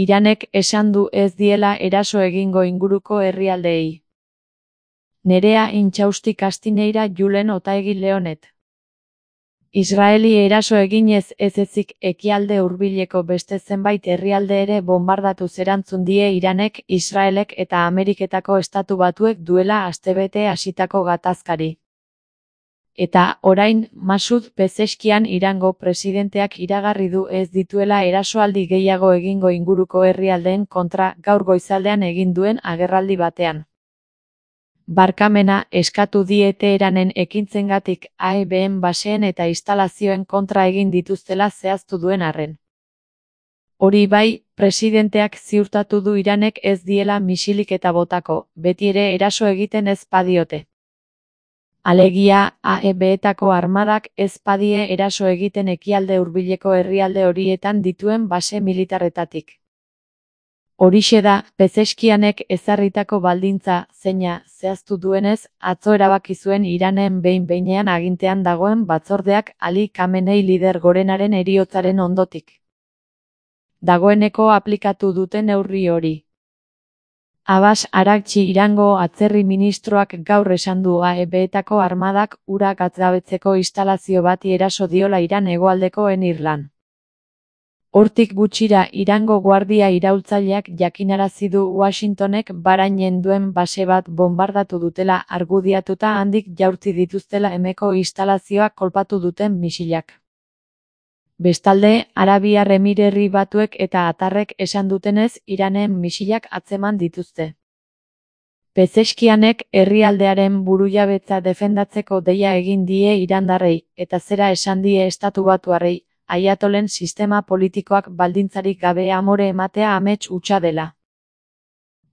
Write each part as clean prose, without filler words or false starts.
Iranek esan du ez diela eraso egingo inguruko herrialdeei. Nerea Intxausti Castineira Julen Otaegi Leonet. Israeli eraso eginez ez ezik ekialde hurbileko beste zenbait herrialde ere bombardatu erantzun die Iranek, Israelek eta Ameriketako Estatu Batuek duela astebete hasitako gatazkari. Eta, orain, Masud Pezeshkian Irango presidenteak iragarri du ez dituela erasoaldi gehiago egingo inguruko herrialdeen kontra gaur goizaldean egin duen agerraldi batean. Barkamena eskatu die Teheranen ekintzengatik AEBn baseen eta instalazioen kontra egin dituztela zehaztu duen arren. Hori bai, presidenteak ziurtatu du Iranek ez diela misilik eta botako, beti ere eraso egiten ez badiote. Alegia, AEBetako armadak ez badie eraso egiten ekialde hurbileko herrialde horietan dituen base militarretatik. Horixe da, Pezeshkianek ezarritako baldintza, zeina, zehaztu duenez, atzo erabaki zuen Iranen behin-behinean agintean dagoen batzordeak Ali Khamenei lider gorenaren heriotzaren ondotik. Dagoeneko aplikatu duten neurri hori. Abbas Araghchi Irango atzerri ministroak gaur esan du AEBetako armadak ura gatzabetzeko instalazio bati eraso diola Iran hegoaldeko Enirlan. Hortik gutxira Irango guardia iraultzaileak jakinarazi du Washingtonek Bahrainen duen base bat bombardatu dutela argudiatuta handik jaurti dituztela hemeko instalazioak kolpatu duten misilak. Bestalde, Arabiar Emirerri Batuek eta Atarrek esan dutenez Iranen misilak atzeman dituzte. Pezeshkianek herrialdearen burujabetza defendatzeko deia egin die irandarrei, eta zera esan die Estatu Batuarrei, Ayatolen sistema politikoak baldintzarik gabe amore ematea amets hutsa dela.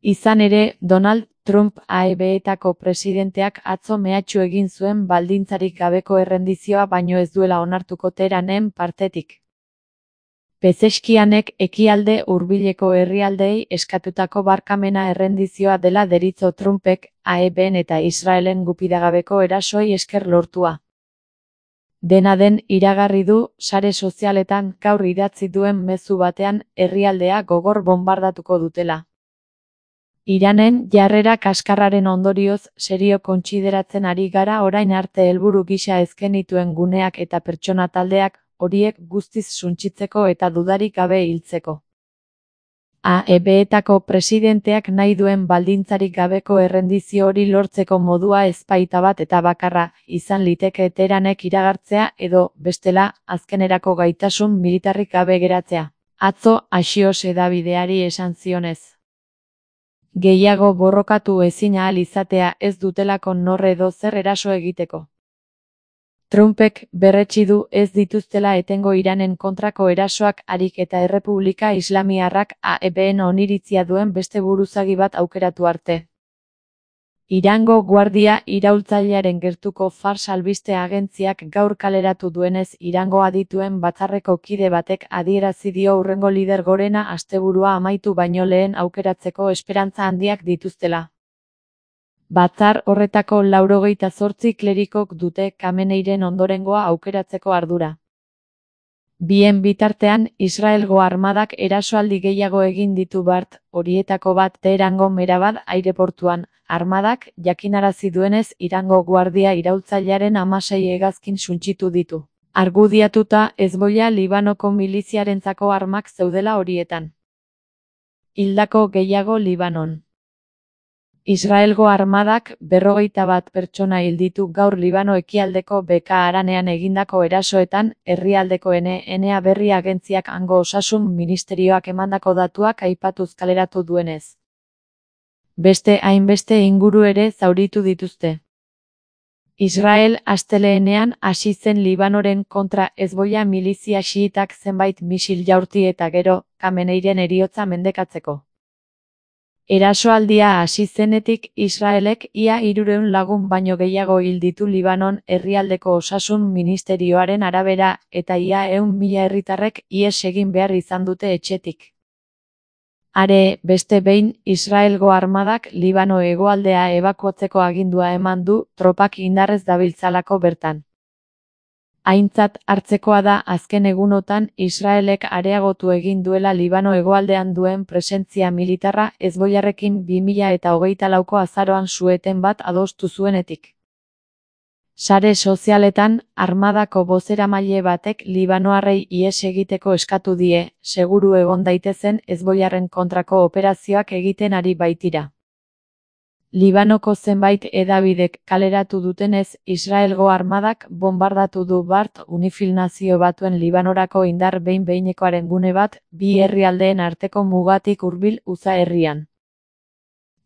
Izan ere, Donald Trump AEBetako presidenteak atzo mehatxu egin zuen baldintzarik gabeko errendizioa baino ez duela onartuko Teheranen partetik. Pezeshkianek ekialde hurbileko herrialdeei eskatutako barkamena errendizioa dela deritzo Trumpek, AEBn eta Israelen gupidagabeko erasoi esker lortua. Dena den iragarri du, sare sozialetan gaur idatzi duen mezu batean herrialdea gogor bombardatuko dutela. Iranen jarrera kaskarraren ondorioz serio kontsideratzen ari gara orain arte helburu gisa ezkenituen guneak eta pertsona taldeak, horiek guztiz suntsitzeko eta dudarik gabe hiltzeko. AEBetako presidenteak nahi duen baldintzarik gabeko errendizio hori lortzeko modua ezpaita bat eta bakarra, izan liteke Teheranek iragartzea edo, bestela, azkenerako gaitasun militarrik gabe geratzea. Atzo Axios hedabideari esan zionez. Gehiago borrokatu ezin ahal izatea ez dutelako nor edo zer eraso egiteko. Trumpek berretsi du ez dituztela etengo Iranen kontrako erasoak harik eta Errepublika Islamiarrak AEBn oniritzia duen beste buruzagi bat aukeratu arte. Irango guardia iraultzailearen gertuko Fars albiste agentziak gaur kaleratu duenez Irango adituen batzarreko kide batek adierazi dio hurrengo lider gorena asteburua amaitu baino lehen aukeratzeko esperantza handiak dituztela. Batzar horretako 98 klerikok dute Khameneiren ondorengoa aukeratzeko ardura. Bien bitartean, Israelgo armadak erasoaldi gehiago egin ditu bart, horietako bat Teherango Merabad aireportuan, armadak jakinarazi duenez Irango guardia iraultzailearen 16 hegazkin suntsitu ditu. Argudiatuta Hezbollah Libanoko miliziarentzako armak zeudela horietan. Hildako gehiago Libanon. Israelgo armadak 51 pertsona hil ditu gaur Libano ekialdeko Beka haranean egindako erasoetan, herrialdeko NNA berri agentziak hango osasun ministerioak emandako datuak aipatuz kaleratu duenez. Beste hainbeste inguru ere zauritu dituzte. Israel astelehenean hasi zen Libanoren kontra Hezbollah milizia xiitak zenbait misil jaurti eta gero, Khameneiren heriotza mendekatzeko. Erasoaldia hasi zenetik Israelek ia 300 lagun baino gehiago hil ditu Libanon herrialdeko osasun ministerioaren arabera eta ia 100.000 herritarrek ihes egin behar izan dute etxetik. Are, beste behin, Israelgo armadak Libano hegoaldea ebakuatzeko agindua eman du tropak indarrez dabiltzalako bertan. Aintzat hartzekoa da azken egunotan Israelek areagotu egin duela Libano hegoaldean duen presentzia militarra Hezbollarrekin 2024ko azaroan su-eten bat adostu zuenetik. Sare sozialetan, armadako bozeramaile batek libanoarrei ihes egiteko eskatu die, seguru egon daitezen Hezbollarren kontrako operazioak egiten ari baitira. Libanoko zenbait hedabidek kaleratu dutenez, Israelgo armadak bonbardatu du Bart Unifil Nazio Batuen Libanorako indar behin-behinekoaren gune bat, bi herrialdeen arteko mugatik hurbil Uza herrian.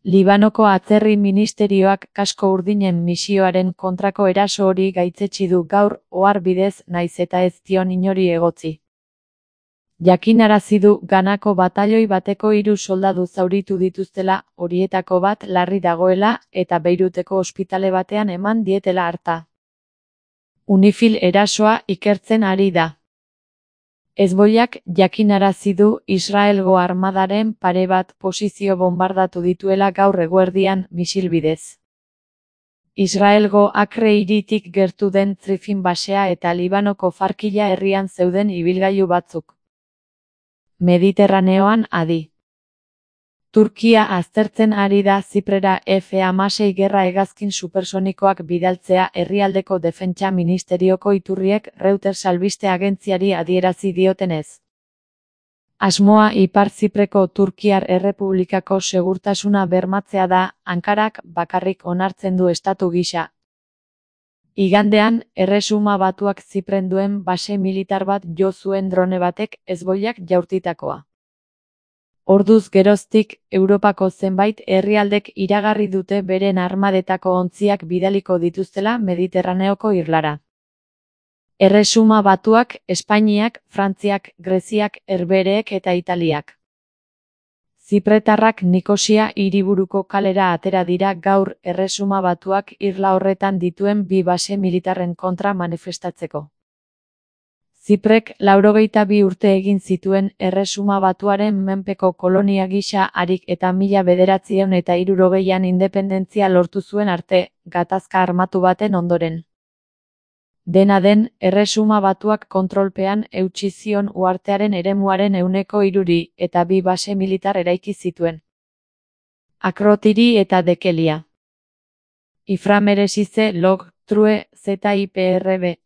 Libanoko atzerri ministerioak kasko urdinen misioaren kontrako eraso hori gaitzetsi du gaur, ohar bidez naiz eta ez dion inori egotzi. Jakinarazi du Ganako batailoi bateko 3 soldadu zauritu dituztela, horietako bat larri dagoela, eta Beiruteko ospitale batean eman dietela harta. Unifil erasoa ikertzen ari da. Hezbollak jakinarazi du Israelgo armadaren pare bat posizio bonbardatu dituela gaur eguerdian misil bidez. Israelgo Akre hiritik gertu den Trifin basea eta Libanoko Farkila herrian zeuden ibilgailu batzuk. Mediterraneoan adi. Turkia aztertzen ari da Ziprera F-16 gerra hegazkin supersonikoak bidaltzea herrialdeko defentsa ministerioko iturriek Reuters albiste agentziari adierazi diotenez. Asmoa Ipar Zipreko Turkiar Errepublikako segurtasuna bermatzea da, Ankarak bakarrik onartzen du estatu gisa. Igandean, Erresuma Batuak Zipren duen base militar bat jo zuen drone batek Hezbollak jaurtitakoa. Orduz geroztik, Europako zenbait herrialdek iragarri dute beren armadetako ontziak bidaliko dituztela Mediterraneoko irlara. Erresuma Batuak, Espainiak, Frantziak, Greziak, Herbehereek eta Italiak. Zipretarrak Nikosia hiriburuko kalera atera dira gaur Erresuma Batuak irla horretan dituen bi base militarren kontra manifestatzeko. Ziprek 82 urte egin zituen Erresuma Batuaren menpeko kolonia gisa harik eta 1960an independentzia lortu zuen arte, gatazka armatu baten ondoren. Dena den, Erresuma Batuak kontrolpean eutsi zion uhartearen eremuaren 3% eta bi base militar eraiki zituen. Akrotiri eta Dekelia. Iframeresize log, true, ZIPRB.